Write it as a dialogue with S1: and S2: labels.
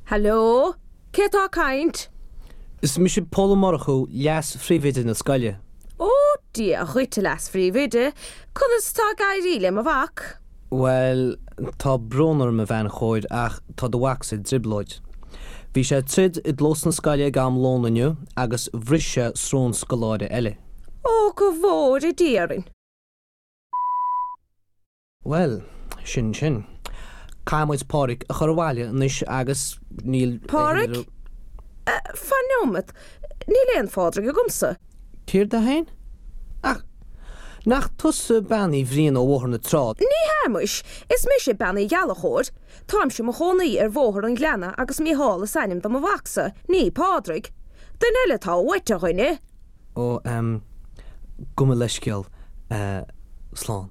S1: Hello? Cé atá ag caint?
S2: Is mise Pól Ó Murchú, leas-phríomhoide na scoile.
S1: Ó, Dia dhuit, a leas-phríomhoide, conas atá ag éirí le mo mhac?
S2: Bhuel, tá brón orm, a bhean chóir, ach tá do mhacsa i dtrioblóid. Bhí sé ag troid i gclós na scoile ag am lóin inniu agus bhris sé srón scoláire eile.
S1: Ó, go bhfóire Dia orainn!
S2: Bhuel, sin sin. Caithfidh muid Pádraig a chur abhaile anois agus níl.
S1: Pádraig? Fan nóiméad, níl aon Phádraig agamsa.
S2: Céard é féin? Ach nach tusa Bean Uí Bhriain ó Bhóthar na Trá?
S1: Ní hea muis, is mise Bean Uí Ghallchóir. Táimse i mo chónaí ar Bhóthar an Ghleanna agus Mícheál is ainm do mo mhacsa, ní Pádraig. Duine eile atá uait, a dhuine!
S2: Ó, em, gabh mo leithscéal, eh, slán.